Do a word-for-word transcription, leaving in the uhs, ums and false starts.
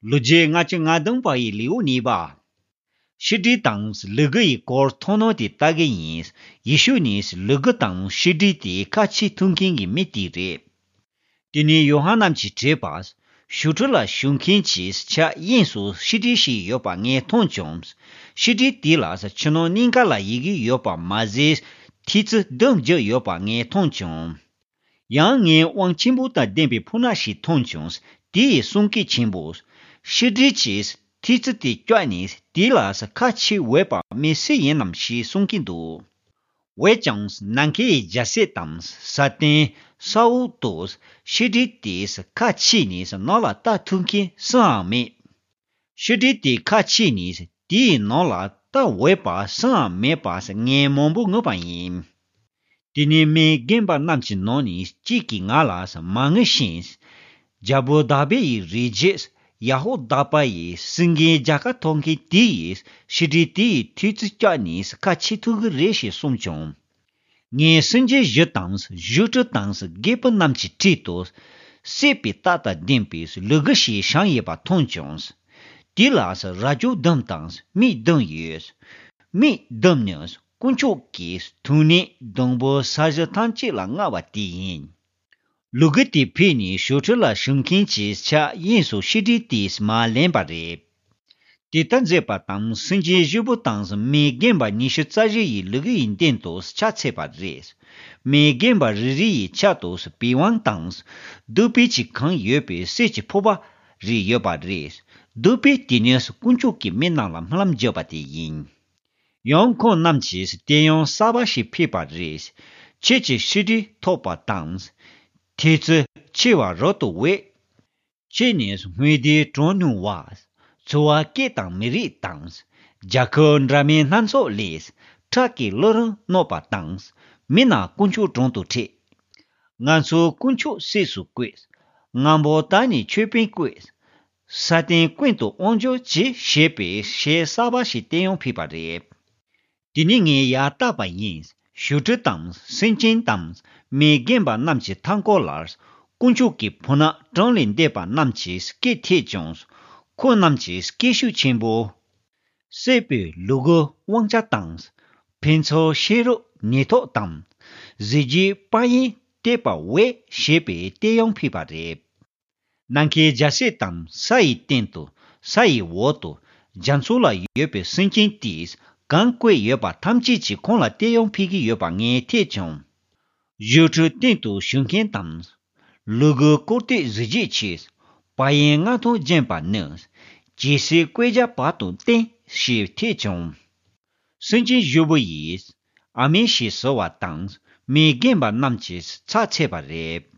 ལོ་རྒྱུས་ལྔ་བཅུ་ང་བདུན་པ་ཡི་ལེའུ་གཉིས་པ། ཤི་ཀྲི་དང་ལུ་གུ་ཡི་སྐོར་མཐོང་སྣང་དེ་ལྟ་གི་ཡིན། ཡེ་ཤུ་ནི་ལུ་གུ་དང་ཤི་ཀྲི་དེ་ཁ་ཕྱེ་ཐུབ་མཁན་གྱི་མི་དེ་རེད། དེ་ནས་ཡོ་ཧ་ནན་གྱིས་བྲིས་པ། ཞུ་ཁྲི་ལ་བཞུགས་མཁན་གྱི་ཕྱག་གཡས་སུ་ཤི་ཀྲི་ཞིག་ཡོད་པ་ངས་མཐོང་བྱུང་། ཤི་ཀྲི་དེ་ལ་ཕྱི་ནང་གཉིས་ཀ་ལ་ཡི་གེ་ཡོད་པ་མ་ཟད་ཐེལ་ཙེ་བདུན་བརྒྱབ་ཡོད་པ་ངས་མཐོང་བྱུང་། ཡང་ངས་དབང་ཆེན་པོ་དང་ལྡན་པའི་ཕོ་ཉ་ཞིག་མཐོང་བྱུང་། དེ་ཡི་གསུང་སྐད་ཆེན་པོ། ཤི་ཀྲི་གྱིས་ཐེལ་ཙེ་དེ་བཀྱགས་ནས་དེ་ལ་ཁ་ཕྱེ་འོས་པ་མི་སུ་ཡིན་ནམ་ཞེས་གསུང་གིན་འདུག། འོན་ཀྱང་ནམ་མཁའི་རྒྱལ་སྲས་དང་ས་སྟེང་ས་འོག་ཏུ་ཤི་ཀྲི་དེས་ཁ་ཕྱེ་ནས་ནང་ལ་ལྟ་ཐུབ་མཁན་སུའང་མེད། ཤི་ཀྲི་དེ་ཁ་ཕྱེ་ནས་དེའི་ནང་ལ་ལྟ་འོས་པ་སུའང་མེད་པ་ངས་མང་པོ་ངུས་པ་ཡིན། དེ་ནས་མི་རྒན་པ་རྣམས་ཀྱི་ནང་ནས་གཅིག་གིས་ང་ལ་མ་ངུ་ཞིག། རྒྱལ་པོ་དཱ་བིད་ཡི་རིགས་རྒྱུད་ཡ་ཧོ་དཱ་པ་ཡི་སེང་གེའི་རྒྱལ་ཁ་ཐོབ་མཁན་དེ་ཡིས་ཤི་ཀྲི་དེ་ཡི་ཐེལ་ཙེ་བཀྱགས་ནས་ཁ་ཕྱེ་ཐུབ་ཀྱི་རེད་ཞེས་གསུངས་བྱུང་། ངས་སེམས་ཅན་བཞི་དང་བཞུགས་ཁྲི་དང་རྒད་པོ་རྣམས་ཀྱི་འཁྲིས་སུ་སྲེད་པའི་རྟགས་དང་ལྡན་པའི་ལུ་གུ་ཞིག་བཞེངས་ཡོད་པ་མཐོང་བྱུང་། དེ་ལ་རྭ་ཅོ་བདུན་དང་མིག་བདུན་ཡོད། མིག་བདུན་ནི་དཀོན་མཆོག་གི་ཐུགས་ཉིད་བདུན་པོ་ས་གཞི་ཐམས་ཅད་ལ་མངའ་བ་དེ་ཡིན། ལུ་གུ་དེ་ཕེབས་ནས་ཞུ་ཁྲི་ལ་བཞུགས་མཁན་གྱི་ཕྱག་གཡས་སུ་ཤི་ཀྲི་དེས་མར་ལེན་པ་རེད། དེ་ལྟར་མཛད་པ་དང་སེམས་ཅན་བཞི་པོ་དང་མི་རྒན་པ་ཉི་ཤུ་རྩ་བཞི་ཡིས་ལུ་གུ་ཡི་སྟེང་དུ་ཕྱག་འཚལ་བ་རེད། མི་རྒན་པ་རེ་རེ་ཡི་ཕྱག་ཏུ་པི་ཝང་དང་། བདུག་སྤོས་ཀྱིས་གང་ཡོད་པའི་གསེར་གྱི་ཕོར་པ་རེ་ཡོད་པ་རེད། བདུག་སྤོས་དེ་ནི་དཀོན་མཆོག་གི་མི་རྣམས་ལ་སྨོན་ལམ་བརྒྱབ་པ་དེ་ཡིན། ཡང་ཁོང་རྣམས་ཀྱིས་དེ་ཡང་གསར་པ་ཞིག་ཕུལ་བ་རེད། ཁྱེད་ཀྱིས་ཤི་ཀྲི་ཐོབ་པ་དང་། ཐེལ་ཙེ་ཆེ་བ་རབ་ཏུ་འོད། ཁྱེད་ནི་སྔོན་དེའི་གྲོང་ནུབ་བ། ཚོ་བ་སྐད་དང་མི་རིགས་དང་། རྒྱལ་ཁབ་འདྲ་མིན་སྣ་ཚོགས་ལས། ཁྲག་གི་བླུ་རིན་གནང་བ་དང་། མི་རྣམས་དཀོན་མཆོག་དྲུང་དུ་ཁྲིད། ང་ཚོའི་དཀོན་མཆོག་སྲས་སུ་བསྐོས། ང་འབོ་ད་ནི་ཆོས་དཔོན་བསྐོས། ས་སྟེང་ཀུན་ཏུ་དབང་འབྱོར་གྱིས་ཞེས་པའི་གཞས་གསར་པ་ཞིག་བསྟན་ཡང་ཕུལ་བ་རེད། དེ་ནས་ངས་ཡར་བལྟས་པ་ཡིན། ཞུ་ཁྲི་དང་སེམས་ཅན་དང་མི་རྒན་པ་རྣམས་ཀྱི་མཐའ་འཁོར་ལ། དཀོན་མཆོག་གི་ཕོ་ཉ་གྲངས་ལས་འདས་པ་རྣམས་ཀྱི་སྐད་ཐོས་བྱུང་། ཁོང་རྣམས་ཀྱིས་སྐད་ཤུགས་ཆེན་པོས། སྲེད་པའི་ལུ་གུ་དབང་ཆ་དང་། ཕུན་ཚོགས་ཤེས་རབ་ནུས་སྟོབས་དང་། གཟི་བརྗིད་དཔལ་ཡོན་བསྟོད་པ་འོས་ཞེས་པའི་བསྟན་ཡང་ཕུལ་བ་རེད། ནམ་མཁའི་རྒྱལ་སྲས་དང་ས་ཡི་སྟེང་དུ། ས་ཡི་འོག་ཏུ། རྒྱ་མཚོ་ལ་ཡོད་པའི་སེམས་ཅན་དེས་གང་བཀོད་ཡོད་པ་ཐམས་ཅད་ཀྱིས་ཁོང་ལ་བསྟན་ཡང་ཕུལ་གྱི་ཡོད་པ་ངས་ཐོས་བྱུང་། ཞུ་ཁྲི་སྟེང་དུ་བཞུགས་མཁན་དང་། ལུ་གུ་བཀུར་སྟི་གཟི་བརྗིད་ཆེ། དཔལ་ཡོན་མངའ་ཐང་ལྗན་པ་ནི། ཇི་སྲིད་བསྐལ་བརྒྱ་བར་དུ་བརྟན་ཞེས་ཐོས་བྱུང་། སེམས་ཅན་བཞི་པོ་ཡིས་ཨ་མེན་ཞེས་ཟེར་བ་དང་མི་རྒན་པ་རྣམས་ཀྱིས་ཕྱག་འཚལ་བ་རེད།